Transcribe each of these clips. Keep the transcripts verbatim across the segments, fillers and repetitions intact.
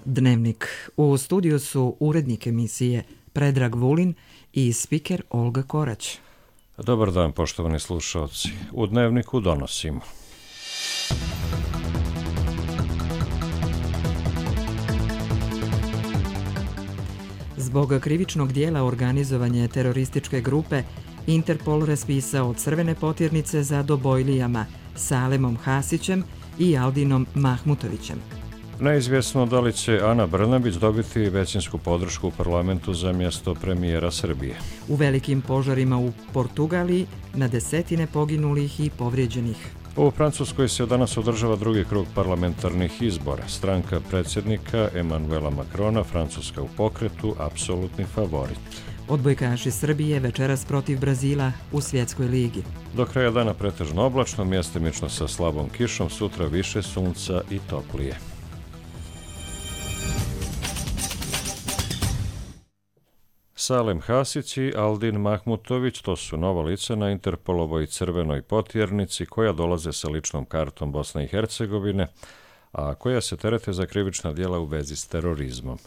Dnevnik. U studiju su urednik emisije Predrag Vulin i spiker Olga Korać. Dobar dan, poštovani slušalci. U Dnevniku donosimo. Zbog krivičnog dijela organizovanje terorističke grupe, Interpol raspisao crvene potjernice za Dobojlijama, Salemom Hasićem i Aldinom Mahmutovićem. Neizvjesno da li će Ana Brnabić dobiti većinsku podršku u parlamentu za mjesto premijera Srbije. U velikim požarima u Portugaliji na desetine poginulih i povrijeđenih. U Francuskoj se danas održava drugi krug parlamentarnih izbora. Stranka predsjednika Emanuela Macrona, Francuska u pokretu, apsolutni favorit. Odbojkaši Srbije večeras protiv Brazila u svjetskoj ligi. Do kraja dana pretežno oblačno, mjestimično sa slabom kišom, sutra više sunca i toplije. Salem Hasić i Aldin Mahmutović, to su nova lica na Interpolovoj crvenoj potjernici koja dolaze sa ličnom kartom Bosne i Hercegovine, a koja se terete za krivična djela u vezi s terorizmom.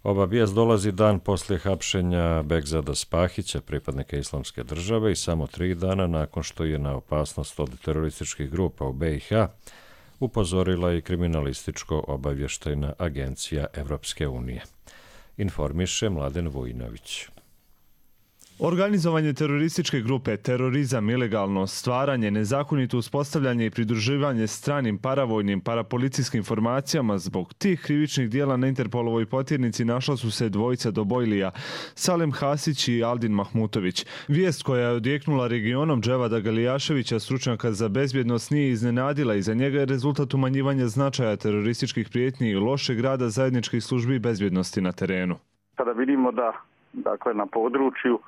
Ova vijest dolazi dan poslije hapšenja Begzada Spahića, pripadnika Islamske države, i samo tri dana nakon što je na opasnost od terorističkih grupa u be i ha upozorila i kriminalističko-obavještajna agencija Evropske unije. Informiše Mladen Vujinović. Organizovanje terorističke grupe, terorizam, ilegalno stvaranje, nezakonito uspostavljanje i pridruživanje stranim paravojnim parapolicijskim formacijama, zbog tih krivičnih dijela na Interpolovoj potjernici našla su se dvojica Dobojlija, Salem Hasić i Aldin Mahmutović. Vijest koja je odjeknula regionom Dževada Galijaševića, stručnjaka za bezbjednost, nije iznenadila i za njega je rezultat umanjivanja značaja terorističkih prijetnji i lošeg rada zajedničkih službi bezbjednosti na terenu. Kada vidimo da, dakle, na području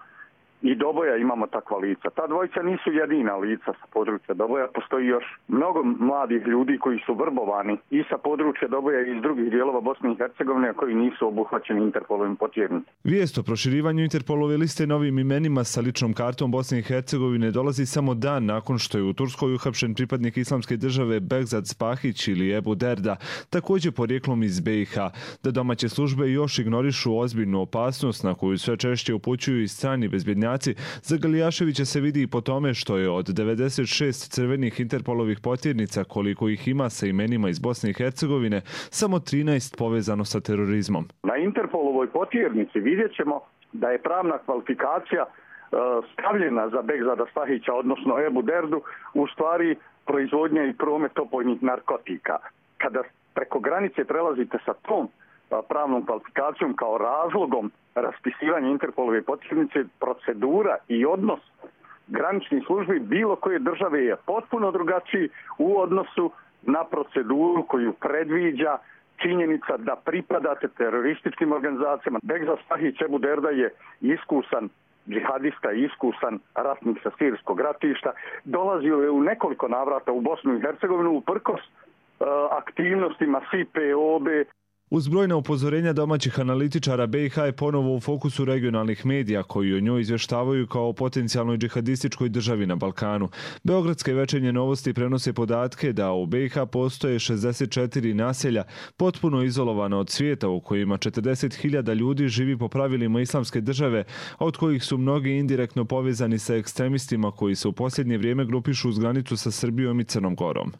i Doboja imamo takva lica. Ta dvojica nisu jedina lica sa područja Doboja. Postoji još mnogo mladih ljudi koji su vrbovani i sa područja Doboja i iz drugih dijelova Bosne i Hercegovine, koji nisu obuhvaćeni Interpolovim potjernicama. Vijest o proširivanju Interpolove liste novim imenima sa ličnom kartom Bosne i Hercegovine dolazi samo dan nakon što je u Turskoj uhapšen pripadnik Islamske države Begzad Spahić ili Ebu Derda, također porijeklom iz be i ha. Da domaće službe još ignorišu ozbiljnu opasnost na koju sve češće upućuju i strani bezbjednjaci, za Galijaševića se vidi i po tome što je od devedeset šest crvenih Interpolovih potjernica, koliko ih ima sa imenima iz Bosne i Hercegovine, samo trinaest povezano sa terorizmom. Na Interpolovoj potjernici vidjet ćemo da je pravna kvalifikacija e, stavljena za Begzada Spahića, odnosno Ebu Derdu, u stvari proizvodnja i promet opojnih narkotika. Kada preko granice prelazite sa tom pravnom kvalifikacijom kao razlogom raspisivanja Interpolove potjernice, procedura i odnos graničnih službi bilo koje države je potpuno drugačiji u odnosu na proceduru koju predviđa činjenica da pripadate terorističkim organizacijama. Begzad Spahić Ebu Derda je iskusan džihadista, iskusan ratnik sa sirijskog ratišta. Dolazio je u nekoliko navrata u Bosnu i Hercegovinu uprkos uh, aktivnostima es i pe o be. Uz brojna upozorenja domaćih analitičara, be i ha je ponovo u fokusu regionalnih medija koji o njoj izvještavaju kao o potencijalnoj džihadističkoj državi na Balkanu. Beogradske večernje novosti prenose podatke da u be i ha postoje šezdeset četiri naselja potpuno izolovana od svijeta, u kojima četrdeset hiljada ljudi živi po pravilima Islamske države, a od kojih su mnogi indirektno povezani sa ekstremistima koji se u posljednje vrijeme grupišu uz granicu sa Srbijom i Crnom Gorom.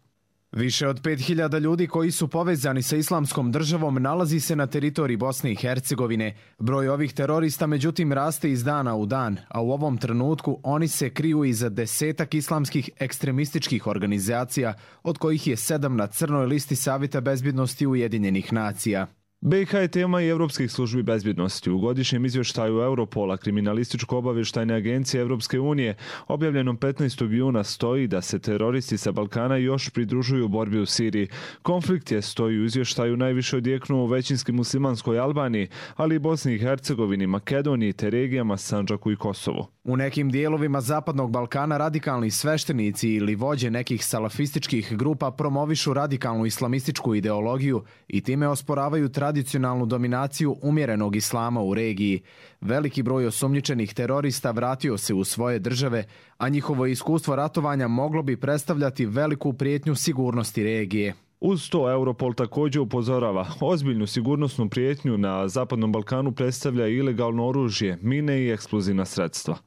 Više od pet hiljada ljudi koji su povezani sa Islamskom državom nalazi se na teritoriji Bosne i Hercegovine. Broj ovih terorista međutim raste iz dana u dan, a u ovom trenutku oni se kriju iza desetak islamskih ekstremističkih organizacija, od kojih je sedam na crnoj listi Savjeta bezbjednosti Ujedinjenih nacija. be i ha je tema i evropskih službi bezbjednosti. U godišnjem izvještaju Europola, kriminalističko-obavještajne agencije Evropske unije, objavljenom petnaestog juna, stoji da se teroristi sa Balkana još pridružuju u borbi u Siriji. Konflikt je, stoji u izvještaju, najviše odjeknuo u većinski muslimanskoj Albaniji, ali i Bosni i Hercegovini, Makedoniji te regijama Sandžaku i Kosovu. U nekim dijelovima Zapadnog Balkana radikalni sveštenici ili vođe nekih salafističkih grupa promovišu radikalnu islamističku ideologiju i time osporavaju tradicionalnu dominaciju umjerenog islama u regiji. Veliki broj osumnjičenih terorista vratio se u svoje države, a njihovo iskustvo ratovanja moglo bi predstavljati veliku prijetnju sigurnosti regije. Uz to Europol također upozorava, ozbiljnu sigurnosnu prijetnju na Zapadnom Balkanu predstavlja ilegalno oružje, mine i eksplozivna sredstva.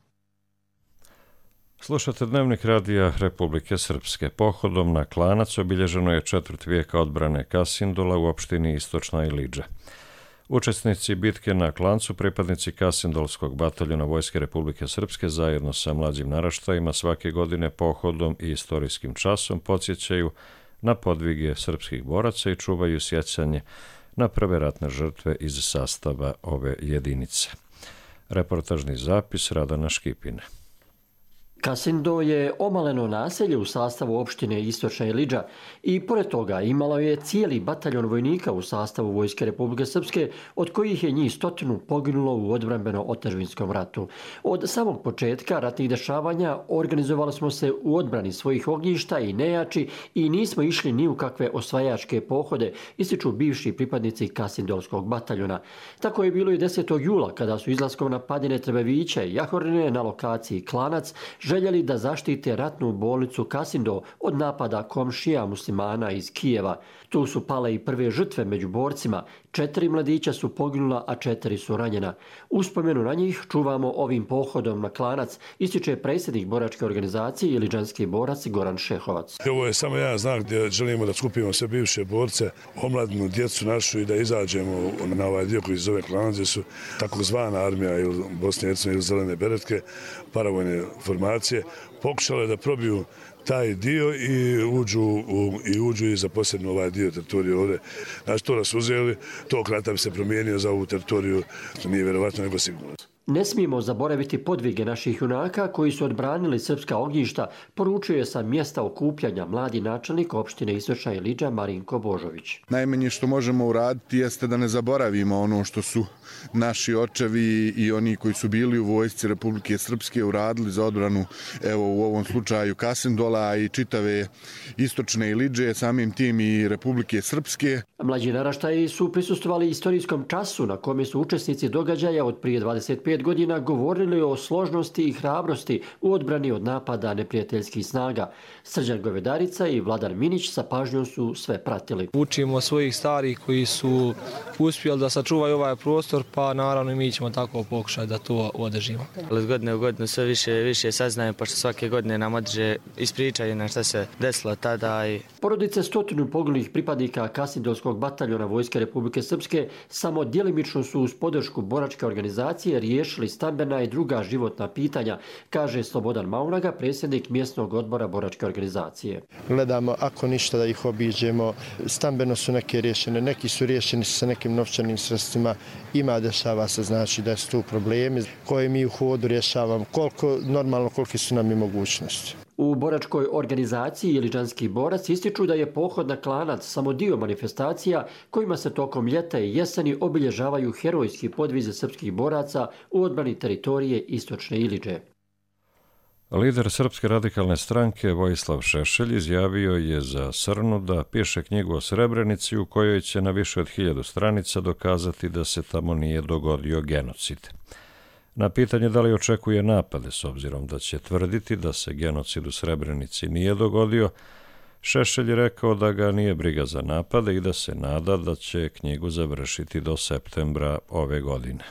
Slušate Dnevnik radija Republike Srpske. Pohodom na Klanac obilježeno je četvrt vijeka odbrane Kasindola u opštini Istočna Ilidža. Učesnici bitke na Klancu, pripadnici Kasindolskog bataljona Vojske Republike Srpske, zajedno sa mlađim naraštajima svake godine pohodom i istorijskim časom podsjećaju na podvige srpskih boraca i čuvaju sjećanje na prve ratne žrtve iz sastava ove jedinice. Reportažni zapis Radana Škipine. Kasindo je omaleno naselje u sastavu opštine Istočna Ilidža i pored toga imalo je cijeli bataljon vojnika u sastavu Vojske Republike Srpske, od kojih je njih stotinu poginulo u odbrambeno-otadžbinskom ratu. Od samog početka ratnih dešavanja organizovali smo se u odbrani svojih ognjišta i nejači i nismo išli ni u kakve osvajačke pohode, ističu bivši pripadnici Kasindolskog bataljona. Tako je bilo i desetog jula kada su izlaskom na padine Trebevića i Jahorine na lokaciji Klanac željeli da zaštite ratnu bolnicu Kasindo od napada komšija muslimana iz Kijeva. Tu su pale i prve žrtve među borcima. Četiri mladića su poginula, a četiri su ranjena. Uspomenu na njih čuvamo ovim pohodom na Klanac, ističe predsjednik boračke organizacije Ilidžanski borac Goran Šehovac. Ovo je samo jedan znak gdje želimo da skupimo sve bivše borce, omladnu djecu našu i da izađemo na ovaj dio koji se zove Klanac, gdje su takozvana armija ili Bosne i Hercegovine ili zelene beretke, paravojne formacije, pokušale da probiju taj dio i uđu, u, i uđu i zaposjednu ovaj dio teritorije ovdje. Znači, to nas uzeli, tog rata bi se promijenio za ovu teritoriju, to nije vjerovatno nego sigurno. Ne smijemo zaboraviti podvige naših junaka koji su odbranili srpska ognjišta, poručio je sa mjesta okupljanja mladi načelnik opštine Istočna Ilidža Marinko Božović. Najmanje što možemo uraditi jeste da ne zaboravimo ono što su naši očevi i oni koji su bili u vojsci Republike Srpske uradili za odbranu, evo u ovom slučaju Kasindola i čitave Istočne Ilidže, samim tim i Republike Srpske. Mlađi naraštaji su prisustvovali istorijskom času na kome su učesnici događaja od prije dvadeset pet godina govorili o složnosti i hrabrosti u odbrani od napada neprijateljskih snaga. Srđan Govedarica i Vladan Minić sa pažnjom su sve pratili. Učimo svojih starih koji su uspjeli da sačuvaju ovaj prostor, pa naravno i mi ćemo tako pokušati da to održimo. Od godine u godinu sve više više saznajemo, pošto svake godine nam održe ispričaju na šta se desilo tada. I... Porodice stotinu poginulih pripadnika Kasindolskog bataljona Vojske Republike Srpske samo djelimično su uz podršku boračke organizacije riješili stambena i druga životna pitanja, kaže Slobodan Maunaga, predsjednik mjesnog odbora boračke organizacije. Gledamo ako ništa da ih obiđemo, stambeno su neke riješene, neki su riješeni sa nekim novčanim sredstvima, ima dešava se znači da su tu problemi koje mi u hodu rješavamo, koliko normalno kolike su nam i mogućnosti. U boračkoj organizaciji Ilidžanski borac ističu da je pohod na Klanac samo dio manifestacija kojima se tokom ljeta i jeseni obilježavaju herojski podvize srpskih boraca u odbrani teritorije Istočne Ilidže. Lider Srpske radikalne stranke Vojislav Šešelj izjavio je za Srnu da piše knjigu o Srebrenici u kojoj će na više od hiljadu stranica dokazati da se tamo nije dogodio genocid. Na pitanje da li očekuje napade s obzirom da će tvrditi da se genocid u Srebrenici nije dogodio, Šešelj je rekao da ga nije briga za napade i da se nada da će knjigu završiti do septembra ove godine.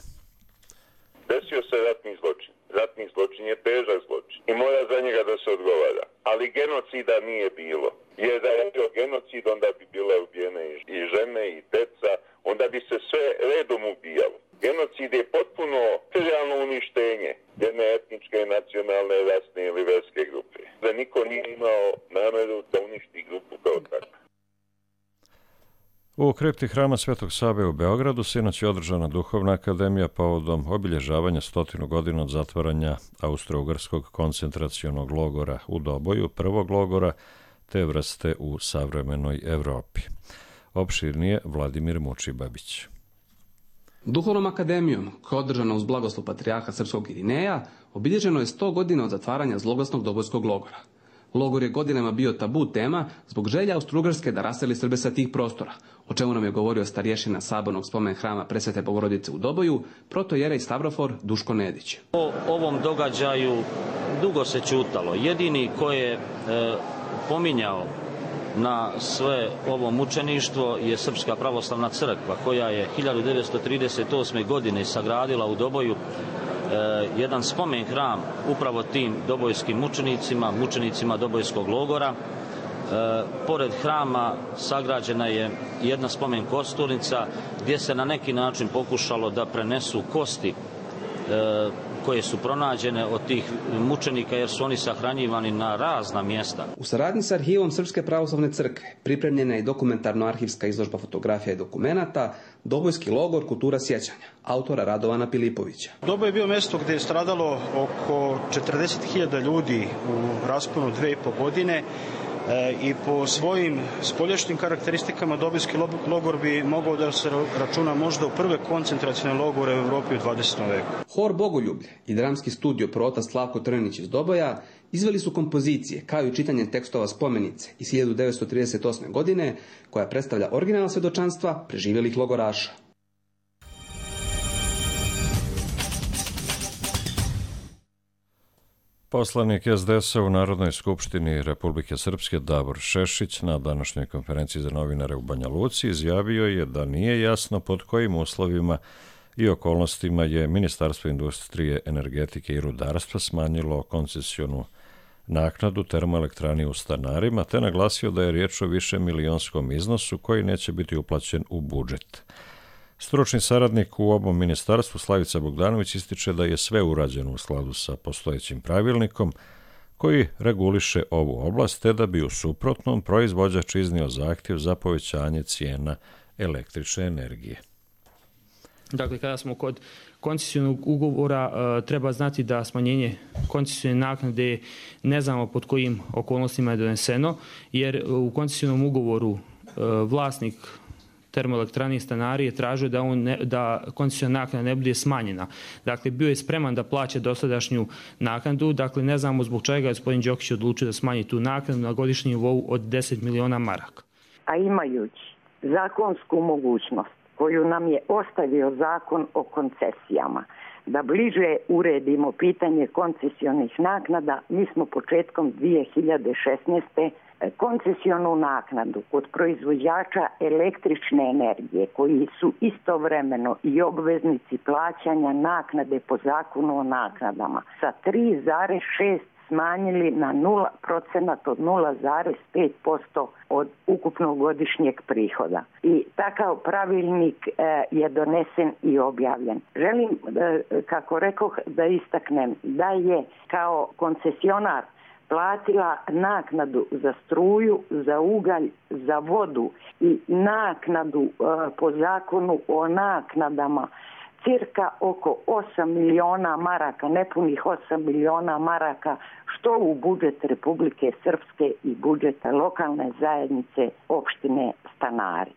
Desio se ratni zločin. Ratni zločin je težak zločin i mora za njega da se odgovara. Ali genocida nije bilo. Jer da je bio genocid, onda bi bile ubijene i žene i deca, onda bi se sve redom ubijalo. Genocid je potpuno teritorijalno uništenje jedne etničke, nacionalne, rasne ili verske grupe. Da niko nije imao nameru da uništi grupu kao takvu. U kripti hrama Svetog Save u Beogradu sinoć je održana duhovna akademija povodom obilježavanja stotinu godina od zatvaranja Austro-Ugarskog koncentracionog logora u Doboju, prvog logora te vrste u savremenoj Evropi. Opširnije Vladimir Mučibabić. Duhovnom akademijom, koja je održana uz blagoslov patrijarha srpskog Irineja, obilježeno je sto godina od zatvaranja zloglasnog Dobojskog logora. Logor je godinama bio tabu tema zbog želja Austro-Ugarske da raseli Srbe sa tih prostora, o čemu nam je govorio starješina sabornog spomen hrama Presvete Bogorodice u Doboju, protojerej Stavrofor Duško Nedić. O ovom događaju dugo se ćutalo. Jedini ko je e, pominjao na sve ovo mučeništvo je Srpska pravoslavna crkva, koja je hiljadu devetsto trideset osme. godine sagradila u Doboju jedan spomen hram upravo tim dobojskim mučenicima, mučenicima Dobojskog logora. E, pored hrama sagrađena je jedna spomen kosturnica gdje se na neki način pokušalo da prenesu kosti e, koje su pronađene od tih mučenika, jer su oni sahranjivani na razna mjesta. U saradnji s arhivom Srpske pravoslavne crkve pripremljena je dokumentarno-arhivska izložba fotografija i dokumenata Dobojski logor kultura sjećanja, autora Radovana Pilipovića. Doboj je bio mjesto gdje je stradalo oko četrdeset hiljada ljudi u rasponu dve i po godine. I po svojim spoljašnjim karakteristikama Dobojski logor bi mogao da se računa možda u prve koncentracione logore u Europi u dvadesetom veku. Hor Bogoljublje i dramski studio prota Slavko Trnić iz Doboja izveli su kompozicije kao i čitanje tekstova spomenice iz hiljadu devetsto trideset osme. godine koja predstavlja originalna svjedočanstva preživjelih logoraša. Poslanik es de es a u Narodnoj skupštini Republike Srpske Davor Šešić na današnjoj konferenciji za novinare u Banja Luci izjavio je da nije jasno pod kojim uslovima i okolnostima je Ministarstvo industrije, energetike i rudarstva smanjilo koncesionu naknadu termoelektrani u Stanarima, te naglasio da je riječ o višemilijonskom iznosu koji neće biti uplaćen u budžet. Stručni saradnik u ovom ministarstvu Slavica Bogdanović ističe da je sve urađeno u skladu sa postojećim pravilnikom koji reguliše ovu oblast, te da bi u suprotnom proizvođač iznio zahtjev za povećanje cijena električne energije. Dakle, kada smo kod koncesionog ugovora, treba znati da smanjenje koncesione naknade ne znamo pod kojim okolnostima je doneseno, jer u koncesionom ugovoru vlasnik termoelektrani Stanari je tražio da, on ne, da koncesiona naknada ne bude smanjena. Dakle, bio je spreman da plaća dosadašnju naknadu. Dakle, ne znamo zbog čega je gospodin Đokić odlučio da smanji tu naknadu na godišnjem nivou od deset miliona maraka. A imajući zakonsku mogućnost koju nam je ostavio zakon o koncesijama, da bliže uredimo pitanje koncesionih naknada, mi smo početkom dvije hiljade šesnaeste. koncesionu naknadu kod proizvođača električne energije koji su istovremeno i obveznici plaćanja naknade po zakonu o naknadama sa tri zarez šest smanjili na nula procenata od nula zarez pet posto od ukupnog godišnjeg prihoda. I takav pravilnik e, je donesen i objavljen. Želim, e, kako rekoh, da istaknem da je kao koncesionar platila naknadu za struju, za ugalj, za vodu i naknadu e, po zakonu o naknadama cirka oko osam miliona maraka, nepunih osam miliona maraka, što u budžet Republike Srpske i budžeta lokalne zajednice opštine Stanari.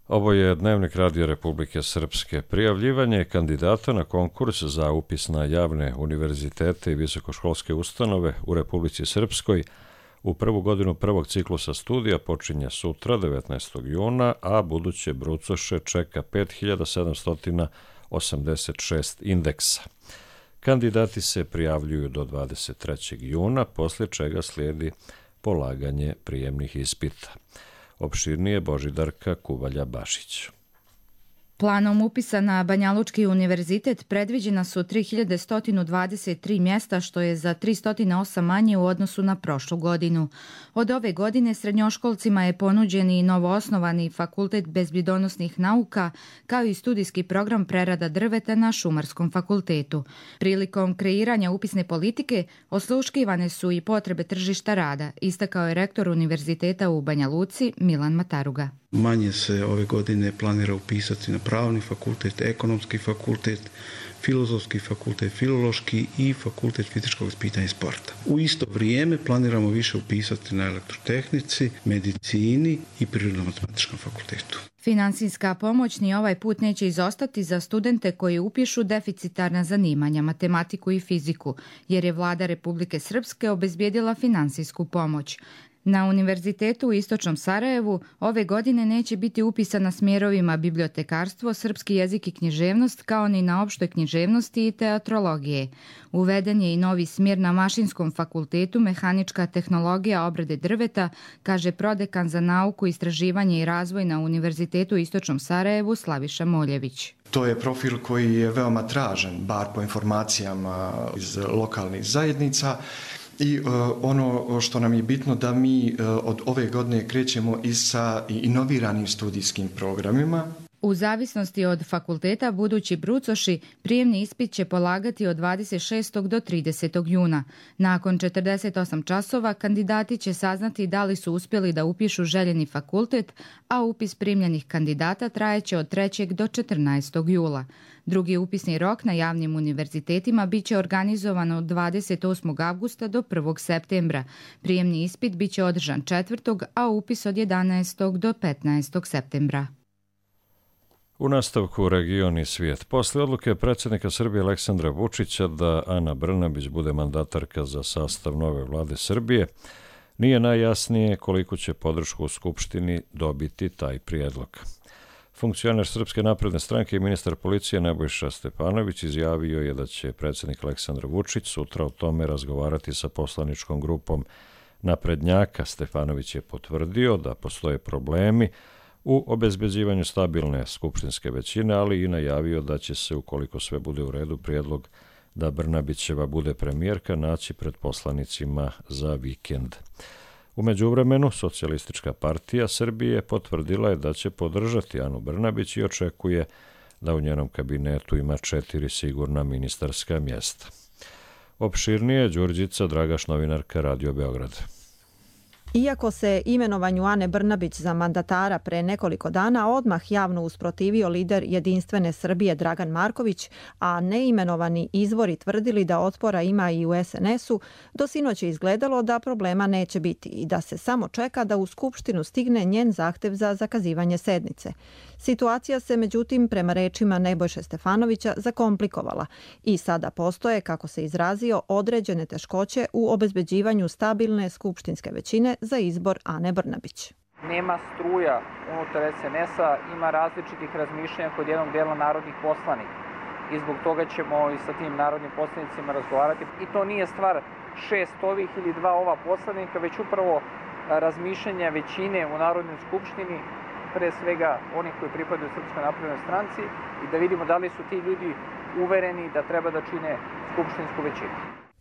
Ovo je Dnevnik Radija Republike Srpske. Prijavljivanje kandidata na konkurs za upis na javne univerzitete i visokoškolske ustanove u Republici Srpskoj u prvu godinu prvog ciklusa studija počinje sutra, devetnaestog juna, a buduće brucoše čeka pet hiljada sedamsto osamdeset šest indeksa. Kandidati se prijavljuju do dvadeset trećeg juna, poslije čega slijedi polaganje prijemnih ispita. Opširnije Božidarka Kuvalja-Bašić. Planom upisa na Banjalučki univerzitet predviđena su tri hiljade sto dvadeset tri mjesta, što je za tristo osam manje u odnosu na prošlu godinu. Od ove godine srednjoškolcima je ponuđen i novoosnovani Fakultet bezbjedonosnih nauka, kao i studijski program prerada drveta na Šumarskom fakultetu. Prilikom kreiranja upisne politike osluškivane su i potrebe tržišta rada, istakao je rektor univerziteta u Banja Luci Milan Mataruga. Manje se ove godine planira upisati na pravni fakultet, ekonomski fakultet, filozofski fakultet, filološki i fakultet fizičkog ispitanja i sporta. U isto vrijeme planiramo više upisati na elektrotehnici, medicini i prirodno-matematičkom fakultetu. Finansijska pomoć ni ovaj put neće izostati za studente koji upišu deficitarna zanimanja, matematiku i fiziku, jer je vlada Republike Srpske obezbijedila finansijsku pomoć. Na Univerzitetu u Istočnom Sarajevu ove godine neće biti upisa na smjerovima bibliotekarstvo, srpski jezik i književnost, kao ni na opštoj književnosti i teatrologije. Uveden je i novi smjer na Mašinskom fakultetu mehanička tehnologija obrade drveta, kaže prodekan za nauku, istraživanje i razvoj na Univerzitetu u Istočnom Sarajevu Slaviša Moljević. To je profil koji je veoma tražen, bar po informacijama iz lokalnih zajednica. I uh, ono što nam je bitno da mi uh, od ove godine krećemo i sa inoviranim studijskim programima. U zavisnosti od fakulteta budući brucoši prijemni ispit će polagati od dvadeset šestog do tridesetog juna. Nakon četrdeset osam časova kandidati će saznati da li su uspjeli da upišu željeni fakultet, a upis primljenih kandidata trajeće od trećeg do četrnaestog jula. Drugi upisni rok na javnim univerzitetima bit će organizovan od dvadeset osmog avgusta do prvog septembra. Prijemni ispit bit će održan četvrtog, a upis od jedanaestog do petnaestog septembra. U nastavku region i svijet. Posle odluke predsjednika Srbije Aleksandra Vučića da Ana Brnabić bude mandatarka za sastav nove vlade Srbije, nije najjasnije koliko će podršku u Skupštini dobiti taj prijedlog. Funkcioner Srpske napredne stranke i ministar policije Nebojša Stefanović izjavio je da će predsjednik Aleksandar Vučić sutra o tome razgovarati sa poslaničkom grupom naprednjaka. Stefanović je potvrdio da postoje problemi u obezbeđivanju stabilne skupštinske većine, ali i najavio da će se, ukoliko sve bude u redu, prijedlog da Brnabićeva bude premijerka naći pred poslanicima za vikend. U međuvremenu, Socijalistička partija Srbije potvrdila je da će podržati Anu Brnabić i očekuje da u njenom kabinetu ima četiri sigurna ministarska mjesta. Opširnije Đurđica Dragaš, novinarka Radio Beograd. Iako se imenovanju Ane Brnabić za mandatara pre nekoliko dana odmah javno usprotivio lider Jedinstvene Srbije Dragan Marković, a neimenovani izvori tvrdili da otpora ima i u es en esu, do sinoć je izgledalo da problema neće biti i da se samo čeka da u Skupštinu stigne njen zahtev za zakazivanje sednice. Situacija se, međutim, prema rečima Nebojše Stefanovića, zakomplikovala i sada postoje, kako se izrazio, određene teškoće u obezbeđivanju stabilne skupštinske većine za izbor Ane Brnabić. Nema struja unutar es en esa, ima različitih razmišljanja kod jednog dela narodnih poslanika i zbog toga ćemo i sa tim narodnim poslanicima razgovarati. I to nije stvar šest ovih ili dva ova poslanika, već upravo razmišljanja većine u Narodnoj skupštini, pre svega onih koji pripadaju Srpskoj naprednoj stranci, i da vidimo da li su ti ljudi uvereni da treba da čine skupštinsku većinu.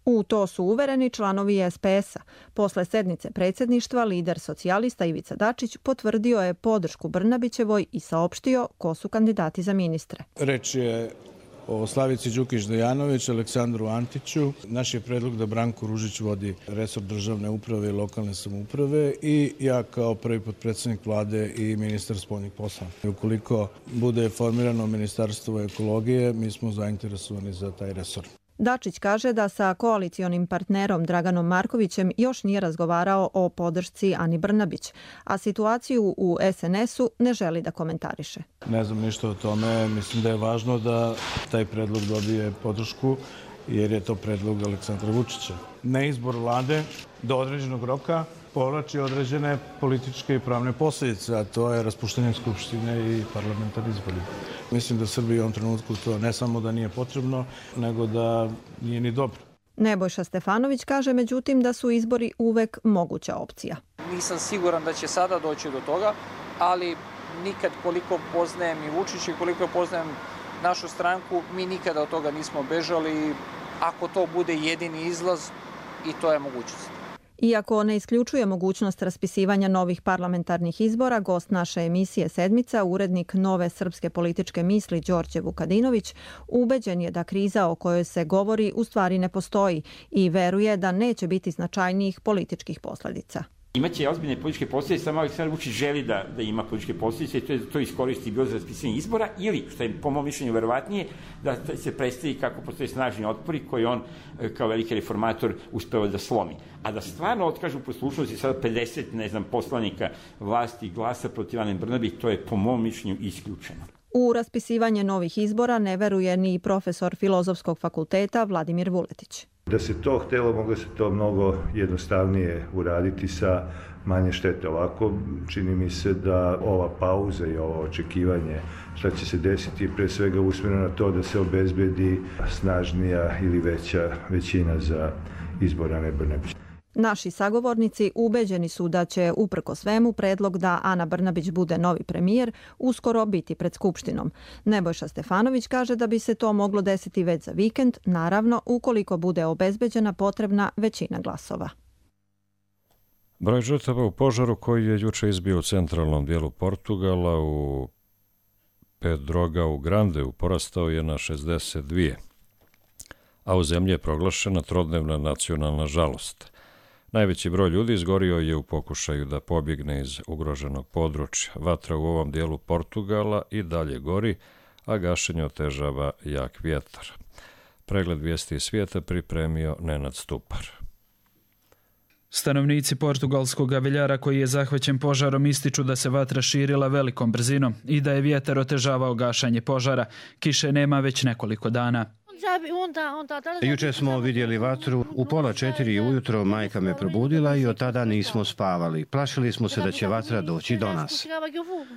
U to su uvereni članovi es pe esa. Posle sednice predsjedništva, lider socijalista Ivica Dačić potvrdio je podršku Brnabićevoj i saopštio ko su kandidati za ministre. Reč je o Slavici Đukić Dejanović, Aleksandru Antiću. Naš je predlog da Branko Ružić vodi resor državne uprave i lokalne samouprave i ja kao prvi potpredsjednik vlade i ministar spoljnih poslova. Ukoliko bude formirano ministarstvo ekologije, mi smo zainteresovani za taj resor. Dačić kaže da sa koalicionim partnerom Draganom Markovićem još nije razgovarao o podršci Ani Brnabić, a situaciju u es en esu ne želi da komentariše. Ne znam ništa o tome. Mislim da je važno da taj predlog dobije podršku, jer je to predlog Aleksandra Vučića. Neizbor vlade do određenog roka povlači određene političke i pravne posljedice, a to je raspuštanje skupštine i parlamentarni izbori. Mislim da Srbiji u ovom trenutku to ne samo da nije potrebno, nego da nije ni dobro. Nebojša Stefanović kaže međutim da su izbori uvek moguća opcija. Nisam siguran da će sada doći do toga, ali nikad koliko poznajem i Vučića i koliko poznajem našu stranku, mi nikada od toga nismo bežali. Ako to bude jedini izlaz, i to je mogućnost. Iako ne isključuje mogućnost raspisivanja novih parlamentarnih izbora, gost naše emisije Sedmica, urednik Nove srpske političke misli Đorđe Vukadinović, ubeđen je da kriza o kojoj se govori u stvari ne postoji i veruje da neće biti značajnijih političkih posljedica. Imaće ozbiljne političke posljedice, samo Aleksandar Vučić želi da, da ima političke posljedice i to, to iskoristi bilo za raspisanje izbora ili, što je po mom mišljenju verovatnije, da se predstavi kako postoje snažni otpori koji on kao veliki reformator uspeo da slomi. A da stvarno otkažu poslušnosti sada pedeset, ne znam, poslanika vlasti glasa protiv Ane Brnabić, to je po mom mišljenju isključeno. U raspisivanje novih izbora ne veruje ni profesor Filozofskog fakulteta Vladimir Vuletić. Da se to htelo, moglo se to mnogo jednostavnije uraditi sa manje štete. Ovako čini mi se da ova pauza i ovo očekivanje šta će se desiti je pre svega usmjereno na to da se obezbedi snažnija ili veća većina za izbor Ane Brnabić. Naši sagovornici ubeđeni su da će, uprko svemu, predlog da Ana Brnabić bude novi premijer uskoro biti pred Skupštinom. Nebojša Stefanović kaže da bi se to moglo desiti već za vikend, naravno ukoliko bude obezbeđena potrebna većina glasova. Broj žrtava u požaru koji je juče izbio u centralnom dijelu Portugala u Pedrogao Grandeu porastao je na šezdeset dvije, a u zemlji je proglašena trodnevna nacionalna žalost. Najveći broj ljudi izgorio je u pokušaju da pobjegne iz ugroženog područja. Vatra u ovom dijelu Portugala i dalje gori, a gašenje otežava jak vjetar. Pregled vijesti iz svijeta pripremio Nenad Stupar. Stanovnici portugalskog Aviljara koji je zahvaćen požarom ističu da se vatra širila velikom brzinom i da je vjetar otežavao gašanje požara. Kiše nema već nekoliko dana. Juče smo vidjeli vatru, u pola četiri ujutro majka me probudila i od tada nismo spavali. Plašili smo se da će vatra doći do nas.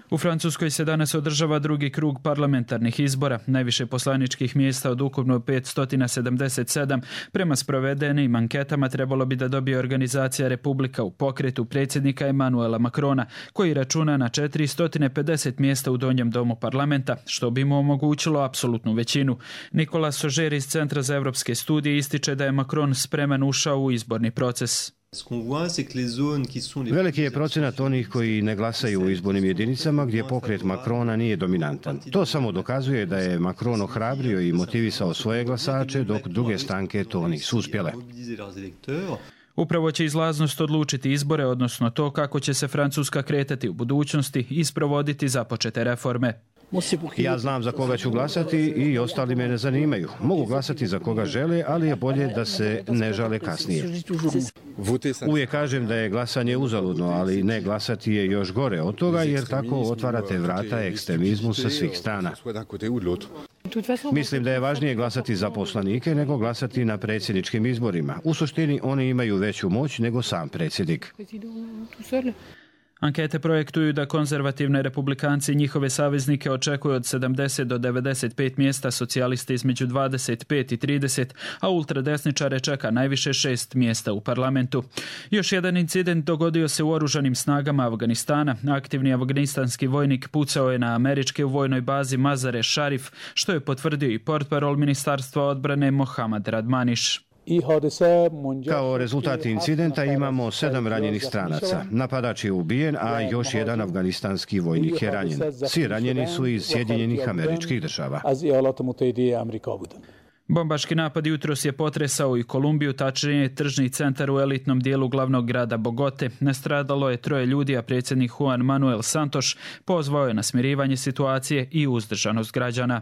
U Francuskoj se danas održava drugi krug parlamentarnih izbora. Najviše poslaničkih mjesta od ukupno petsto sedamdeset sedam prema sprovedenim anketama trebalo bi da dobije organizacija Republika u pokretu predsjednika Emanuela Macrona, koji računa na četiristo pedeset mjesta u donjem domu parlamenta, što bi mu omogućilo apsolutnu većinu. Nikola Sožer iz Centra za evropske studije ističe da je Macron spreman ušao u izborni proces. Veliki je procenat onih koji ne glasaju u izbornim jedinicama gdje pokret Macrona nije dominantan. To samo dokazuje da je Macron ohrabrio i motivisao svoje glasače, dok druge stranke to nisu uspjele. Upravo će izlaznost odlučiti izbore, odnosno to kako će se Francuska kretati u budućnosti i sprovoditi započete reforme. Ja znam za koga ću glasati i ostali me ne zanimaju. Mogu glasati za koga žele, ali je bolje da se ne žale kasnije. Uvijek kažem da je glasanje uzaludno, ali ne glasati je još gore od toga jer tako otvarate vrata ekstremizmu sa svih strana. Mislim da je važnije glasati za poslanike nego glasati na predsjedničkim izborima. U suštini oni imaju veću moć nego sam predsjednik. Ankete projektuju da konzervativne republikanci i njihove saveznike očekuju od sedamdeset do devedeset pet mjesta, socijalisti između dvadeset pet i trideset, a ultradesničare čeka najviše šest mjesta u parlamentu. Još jedan incident dogodio se u oružanim snagama Afganistana. Aktivni afganistanski vojnik pucao je na američke u vojnoj bazi Mazare Sharif, što je potvrdio i portparol Ministarstva odbrane Mohammad Radmaniš. Kao rezultat incidenta imamo sedam ranjenih stranaca. Napadač je ubijen, a još jedan afganistanski vojnik je ranjen. Svi ranjeni su iz Sjedinjenih Američkih Država. Bombaški napad jutros je potresao i Kolumbiju, tačnije tržni centar u elitnom dijelu glavnog grada Bogote. Nastradalo je troje ljudi, a predsjednik Juan Manuel Santos pozvao je na smirivanje situacije i uzdržanost građana.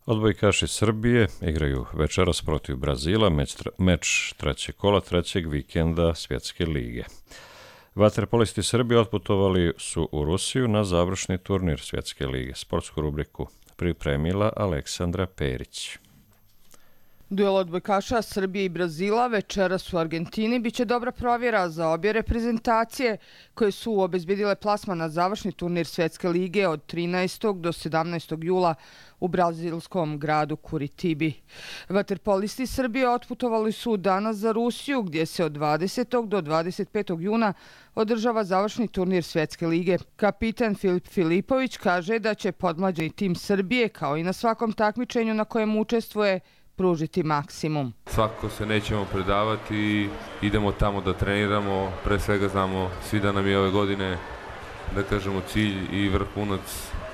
Odbojkaši Srbije igraju večeras protiv Brazila, meč, meč trećeg kola trećeg vikenda Svjetske lige. Vaterpolisti Srbije otputovali su u Rusiju na završni turnir Svjetske lige. Sportsku rubriku pripremila Aleksandra Perić. Duel odbojkaša Srbije i Brazila večeras u Argentini biće dobra provjera za obje reprezentacije koje su obezbedile plasman na završni turnir Svjetske lige od trinaestog do sedamnaestog jula u brazilskom gradu Curitibi. Vaterpolisti Srbije otputovali su danas za Rusiju gdje se od dvadesetog do dvadeset petog juna održava završni turnir Svjetske lige. Kapitan Filip Filipović kaže da će podmlađeni tim Srbije kao i na svakom takmičenju na kojem učestvuje pružiti maksimum. Svakako se nećemo predavati i idemo tamo da treniramo. Pre svega znamo svi da nam je ove godine, da kažemo, cilj i vrhunac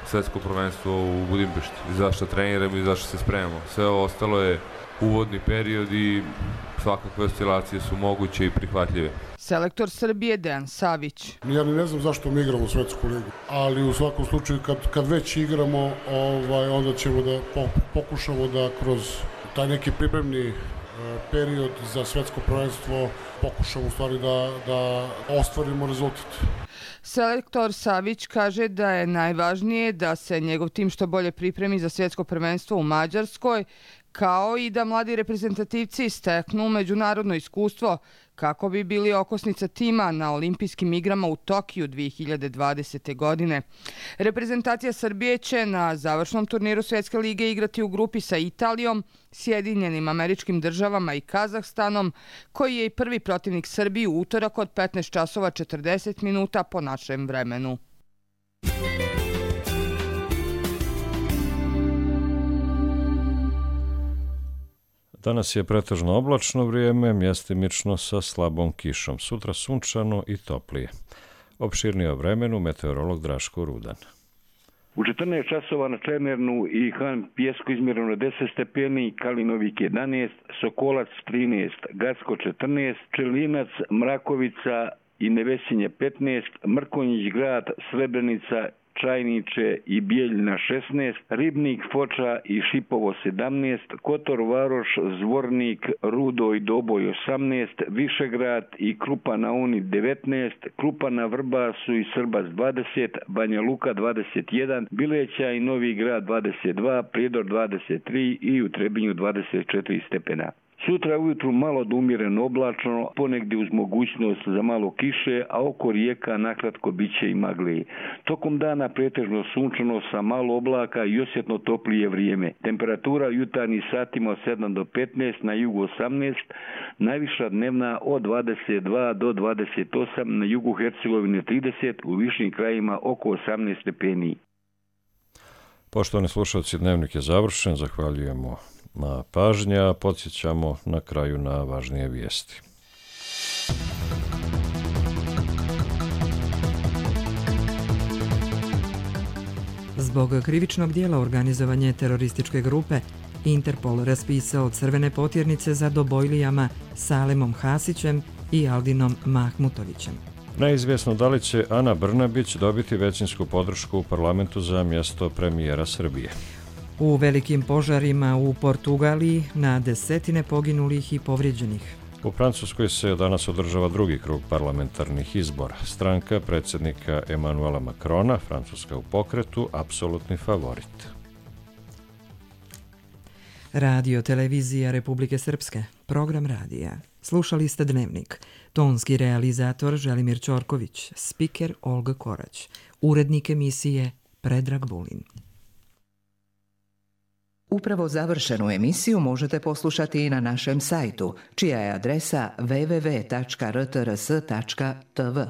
svjetsko prvenstvo u Budimpešti. Zašto treniramo i zašto se spremamo. Sve ovo ostalo je uvodni period i svakakve oscilacije su moguće i prihvatljive. Selektor Srbije Dejan Savić. Ja ne znam zašto mi igramo Svetsku ligu, ali u svakom slučaju kad, kad već igramo, ovaj, onda ćemo da pokušamo da kroz taj neki pripremni period za svetsko prvenstvo pokušamo u stvari da, da ostvarimo rezultat. Selektor Savić kaže da je najvažnije da se njegov tim što bolje pripremi za svjetsko prvenstvo u Mađarskoj, kao i da mladi reprezentativci steknu međunarodno iskustvo kako bi bili okosnica tima na olimpijskim igrama u Tokiju dve hiljade dvadesete. godine. Reprezentacija Srbije će na završnom turniru Svjetske lige igrati u grupi sa Italijom, Sjedinjenim Američkim Državama i Kazahstanom, koji je i prvi protivnik Srbiji u utorak od petnaest časova četrdeset minuta po našem vremenu. Danas je pretežno oblačno vrijeme, mjestimično sa slabom kišom. Sutra sunčano i toplije. Opširnije o vremenu meteorolog Draško Rudan. U četrnaest časova na Čemernu i Han Pjesku izmjereno deset stepeni, Kalinovik jedanaest, Sokolac trinaest, Gacko četrnaest, Čelinac, Mrakovica i Nevesinje petnaest, Mrkonjić grad, Srebrenica, Čajniče i Bijeljina šesnaest, Ribnik, Foča i Šipovo sedamnaest, Kotor, Varoš, Zvornik, Rudo i Doboj osamnaest, Višegrad i Krupa na Uni devetnaest, Krupa na Vrbasu i Srbac dvadeset, Banja Luka dvadeset jedan, Bileća i Novi Grad dvadeset dva, Prijedor dvadeset tri i u Trebinju dvadeset četiri stepena. Sutra ujutru malo do umjereno oblačno, ponegdje uz mogućnost za malo kiše, a oko rijeka nakratko bit će i magli. Tokom dana pretežno sunčano sa malo oblaka i osjetno toplije vrijeme. Temperatura u jutarnjim satima od sedam do petnaest, na jugu osamnaest, najviša dnevna od dvadeset dva do dvadeset osam, na jugu Hercegovine trideset, u višim krajima oko osamnaest stepeni. Poštovani slušalci, dnevnik je završen, zahvaljujemo na pažnja, podsjećamo na kraju na važnije vijesti. Zbog krivičnog dijela organizovanje terorističke grupe, Interpol raspisao crvene potjernice za Dobojlijama Salemom Hasićem i Aldinom Mahmutovićem. Neizvjesno da li će Ana Brnabić dobiti većinsku podršku u parlamentu za mjesto premijera Srbije. U velikim požarima u Portugaliji na desetine poginulih i povrijeđenih. U Francuskoj se danas održava drugi krug parlamentarnih izbora. Stranka predsjednika Emanuela Macrona, Francuska u pokretu, apsolutni favorit. Radio televizija Republike Srpske, program radija. Slušali ste Dnevnik. Tonski realizator Želimir Ćorković, spiker Olga Korać, urednik emisije Predrag Vulin. Upravo završenu emisiju možete poslušati i na našem sajtu, čija je adresa w w w tačka r t r s tačka t v.